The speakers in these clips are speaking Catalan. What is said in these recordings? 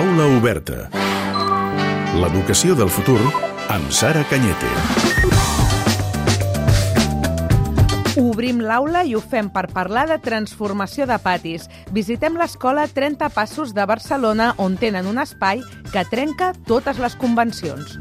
Aula oberta. L'educació del futur amb Sara Cañete. Obrim l'aula i ho fem per parlar de transformació de patis. Visitem l'escola 30 Passos de Barcelona, on tenen un espai que trenca totes les convencions.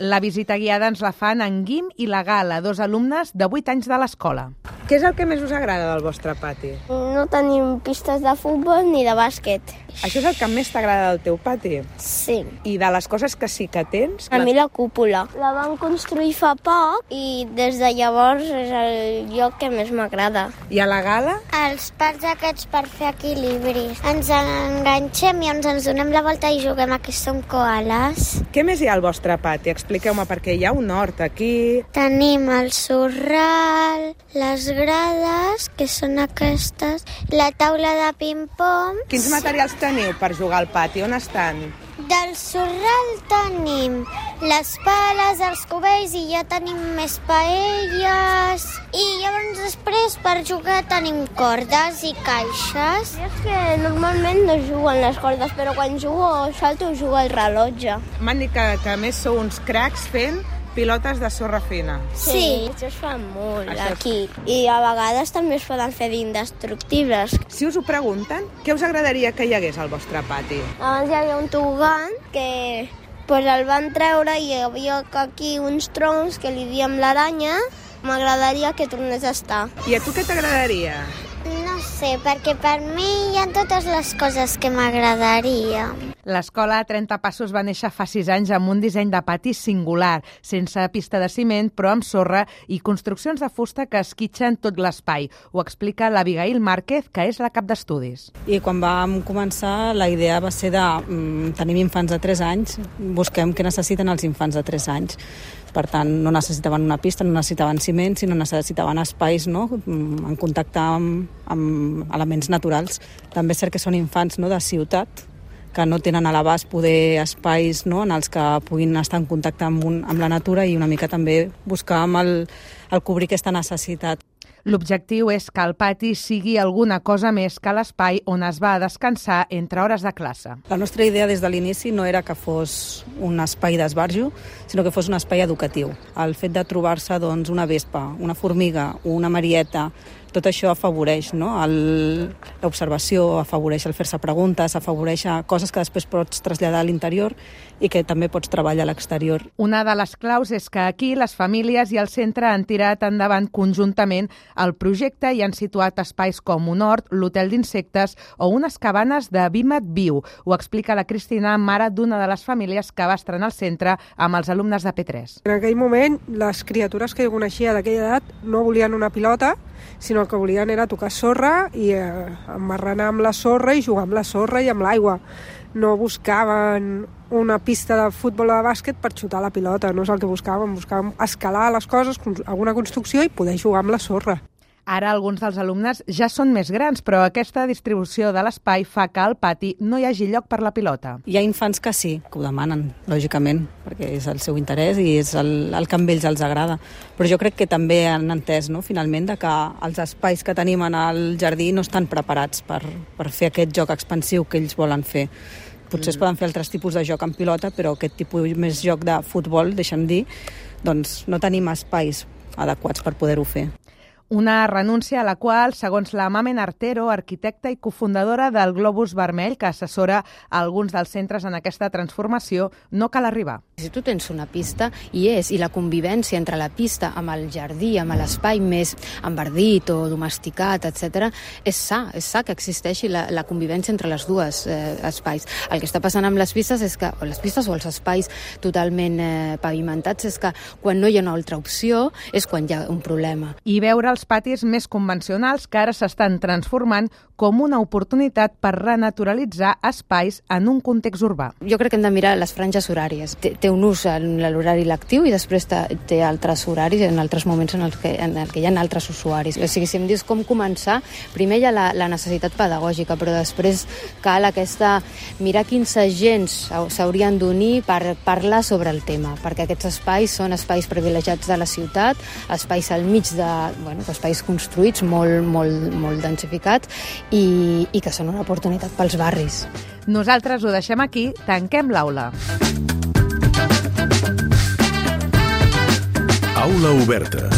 La visita guiada ens la fan en Guim i la Gala, dos alumnes de 8 anys de l'escola. Què és el que més us agrada del vostre pati? No tenim pistes de futbol ni de bàsquet. Això és el que més t'agrada del teu pati? Sí. I de les coses que sí que tens? A mi la cúpula. La van construir fa poc i des de llavors és el lloc que més m'agrada. I a la Gala? Els pals aquests per fer equilibris. Ens enganxem i ens donem la volta i juguem a que som koalas. Què més hi ha al vostre pati? Expliqueu-me, perquè hi ha un hort aquí. Tenim el sorral, les grades, que són aquestes, la taula de ping-pong. Quins materials teniu per jugar al pati? On estan? Del sorral tenim les pales, els cubells i ja tenim més paelles. I llavors després per jugar tenim cordes i caixes. És que normalment no juguen les cordes, però quan jugo o salto jugo al rellotge. M'han dit que a més sou uns cracs fent pilotes de sorra fina. Sí. Això es fa molt Això aquí. I a vegades també es poden fer d'indestructibles. Si us ho pregunten, què us agradaria que hi hagués al vostre pati? Abans hi havia un tobogan que el van treure i hi havia aquí uns troncs que li diem l'aranya. M'agradaria que tornés a estar. I a tu què t'agradaria? No sé, perquè per mi hi ha totes les coses que m'agradaria. L'escola 30 Passos va néixer fa 6 anys amb un disseny de pati singular, sense pista de ciment, però amb sorra i construccions de fusta que esquitxen tot l'espai. Ho explica l'Abigail Márquez, que és la cap d'estudis. I quan vam començar, la idea va ser de tenim infants de 3 anys, busquem què necessiten els infants de 3 anys. Per tant, no necessitaven una pista, no necessitaven ciment, sinó necessitaven espais, no?, en contacte amb elements naturals. També és cert que són infants, no?, de ciutat, que no tenen a l'abast poder espais, no?, en els que puguin estar en contacte amb la natura i una mica també buscàvem el cobrir aquesta necessitat. L'objectiu és que el pati sigui alguna cosa més que l'espai on es va a descansar entre hores de classe. La nostra idea des de l'inici no era que fos un espai d'esbarjo, sinó que fos un espai educatiu. El fet de trobar-se doncs, una vespa, una formiga, una marieta, tot això afavoreix, no?, l'observació, afavoreix el fer-se preguntes, afavoreix coses que després pots traslladar a l'interior i que també pots treballar a l'exterior. Una de les claus és que aquí les famílies i el centre han tirat endavant conjuntament el projecte i han situat espais com un hort, l'hotel d'insectes o unes cabanes de vímet viu. Ho explica la Cristina, mare d'una de les famílies que va estrenar el centre amb els alumnes de P3. En aquell moment, les criatures que jo coneixia d'aquella edat no volien una pilota, sinó el que volien era tocar sorra i emmarranar amb la sorra i jugar amb la sorra i amb l'aigua. No buscaven una pista de futbol o de bàsquet per xutar la pilota, no és el que buscàvem escalar les coses, alguna construcció i poder jugar amb la sorra. Ara alguns dels alumnes ja són més grans, però aquesta distribució de l'espai fa que al pati no hi hagi lloc per la pilota. Hi ha infants que sí, que ho demanen, lògicament, perquè és el seu interès i és el que a ells els agrada. Però jo crec que també han entès, no?, finalment, de que els espais que tenim en el jardí no estan preparats per fer aquest joc expansiu que ells volen fer. Potser es poden fer altres tipus de joc en pilota, però aquest tipus més joc de futbol, deixa'm dir, doncs no tenim espais adequats per poder-ho fer. Una renúncia a la qual, segons la Mamen Artero, arquitecta i cofundadora del Globus Vermell, que assessora a alguns dels centres en aquesta transformació, no cal arribar. Si tu tens una pista, i la convivència entre la pista amb el jardí, amb l'espai més enverdit o domesticat, etc., és sa que existeixi la convivència entre les dues espais. El que està passant amb les pistes és que, o les pistes o els espais totalment pavimentats, és que quan no hi ha una altra opció és quan hi ha un problema. I veure els patis més convencionals que ara s'estan transformant com una oportunitat per renaturalitzar espais en un context urbà. Jo crec que hem de mirar les franges horàries. Té un ús en l'horari lectiu i després té altres horaris en altres moments en el que hi ha altres usuaris. O sigui, si em dius com començar, primer hi ha la necessitat pedagògica, però després cal mirar quins agents s'haurien d'unir per parlar sobre el tema, perquè aquests espais són espais privilegiats de la ciutat, espais al mig de, que espais construïts, molt densificats, i que són una oportunitat pels barris. Nosaltres ho deixem aquí, tanquem l'aula. Aula oberta.